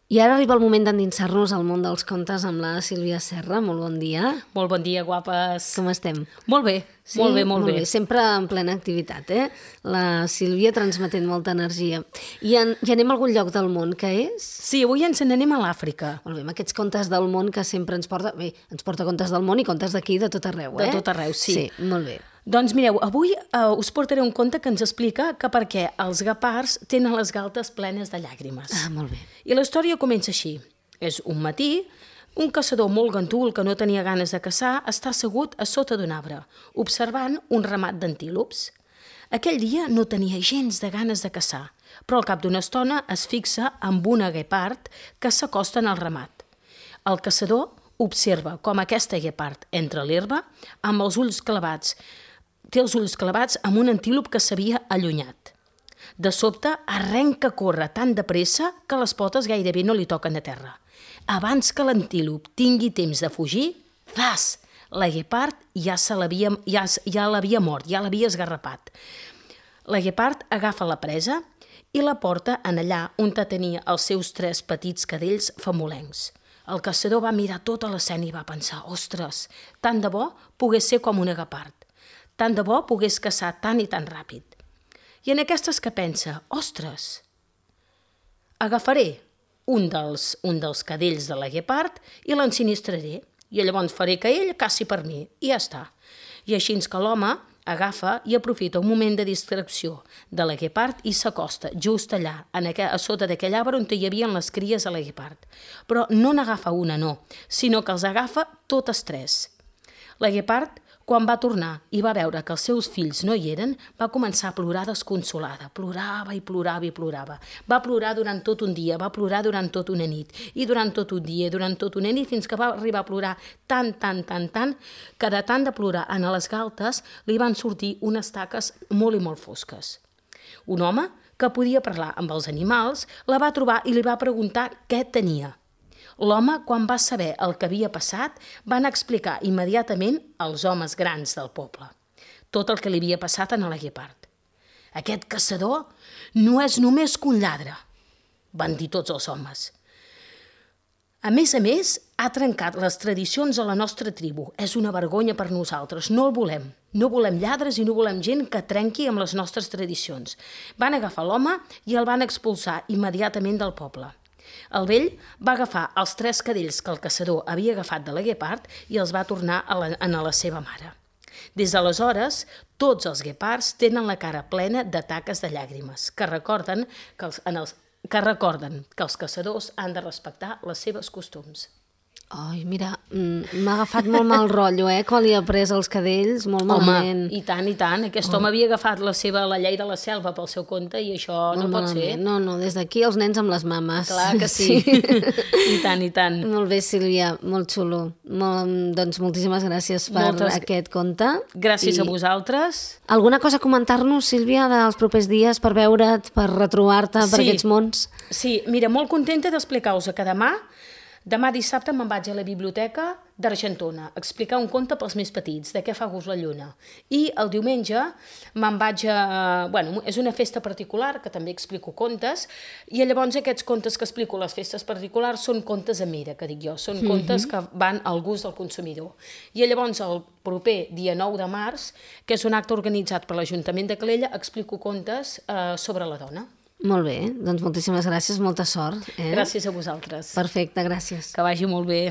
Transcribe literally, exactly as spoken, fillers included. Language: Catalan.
I ara arriba el moment d'endinsar-nos al món dels contes amb la Sílvia Serra. Molt bon dia. Molt bon dia, guapes. Com estem? Molt bé, Sí? molt bé, molt, molt bé. bé. Sempre en plena activitat, eh? La Sílvia transmetent molta energia. I, en, I anem a algun lloc del món, que és? Sí, avui ens n'anem a l'Àfrica. Molt bé, amb aquests contes del món que sempre ens porta... Bé, ens porta contes del món i contes d'aquí de tot arreu, eh? De tot arreu, sí. Sí, molt bé. Doncs mireu, avui uh, us portaré un conte que ens explica que per què els guepards tenen les galtes plenes de llàgrimes. Ah, molt bé. I la història comença així. És un matí, un caçador molt gandul que no tenia ganes de caçar està assegut a sota d'un arbre, observant un ramat d'antílops. Aquell dia no tenia gens de ganes de caçar, però al cap d'una estona es fixa amb una guepard que s'acosten al ramat. El caçador observa com aquesta guepard entra a l'herba amb els ulls clavats, té els ulls clavats amb un antílop que s'havia allunyat. De sobte, arrenca a córrer tan de pressa que les potes gairebé no li toquen a terra. Abans que l'antílop tingui temps de fugir, zas! La guepard ja, se l'havia, ja, ja l'havia mort, ja l'havia esgarrapat. La guepard agafa la presa i la porta en allà on tenia els seus tres petits cadells famolencs. El caçador va mirar tota l'escena i va pensar, ostres, tant de bo pogués ser com una guepard. Tant de bo pogués caçar tan i tan ràpid. I en aquestes que pensa, ostres, agafaré un dels, un dels cadells de la guepard i l'ensinistraré, i llavors faré que ell caci per mi, i ja està. I així que l'home agafa i aprofita un moment de distracció de la guepard i s'acosta just allà, en aqu- a sota d'aquell arbre on hi havia les cries a la guepard. Però no n'agafa una, no, sinó que els agafa totes tres. La guepard, quan va tornar i va veure que els seus fills no hi eren, va començar a plorar desconsolada. Plorava i plorava i plorava. Va plorar durant tot un dia, va plorar durant tot una nit, i durant tot un dia, i durant tot una nit, fins que va arribar a plorar tant, tant, tant, tant, que de tant de plorar en les galtes li van sortir unes taques molt i molt fosques. Un home que podia parlar amb els animals la va trobar i li va preguntar què tenia. L'home, quan va saber el que havia passat, van explicar immediatament als homes grans del poble tot el que li havia passat a la guepard. Aquest caçador no és només que un lladre, van dir tots els homes. A més a més, ha trencat les tradicions a la nostra tribu. És una vergonya per nosaltres, no el volem. No volem lladres i no volem gent que trenqui amb les nostres tradicions. Van agafar l'home i el van expulsar immediatament del poble. El vell va agafar els tres cadells que el caçador havia agafat de la guepard i els va tornar a la, a la seva mare. Des d'aleshores, tots els guepards tenen la cara plena de taques de llàgrimes, que recorden que els, en els, que recorden que els caçadors han de respectar les seves costums. Ai, mira, m'ha agafat molt mal rotllo, eh? Quan li ha pres els cadells, molt malament. Home, i tant, i tant. Aquest home havia agafat la seva La llei de la selva pel seu compte i això no pot ser. No, no, des d'aquí els nens amb les mames. Clar que sí. I tant, i tant. Molt bé, Sílvia, molt xulo. Molt, doncs moltíssimes gràcies per Moltes... aquest conte. Gràcies I... a vosaltres. Alguna cosa a comentar-nos, Sílvia, dels propers dies per veure't, per retrobar-te sí. per aquests mons? Sí, mira, molt contenta d'explicar-vos que demà Demà dissabte me'n vaig a la biblioteca d'Argentona a explicar un conte pels més petits, de què fa gust la lluna. I el diumenge me'n vaig a... Bueno, és una festa particular, que també explico contes, i llavors aquests contes que explico a les festes particulars són contes a mida, que dic jo, són mm-hmm. contes que van al gust del consumidor. I llavors el proper dia nou de març, que és un acte organitzat per l'Ajuntament de Calella, explico contes eh, sobre la dona. Molt bé, doncs moltíssimes gràcies, molta sort. Eh? Gràcies a vosaltres. Perfecte, gràcies. Que vagi molt bé.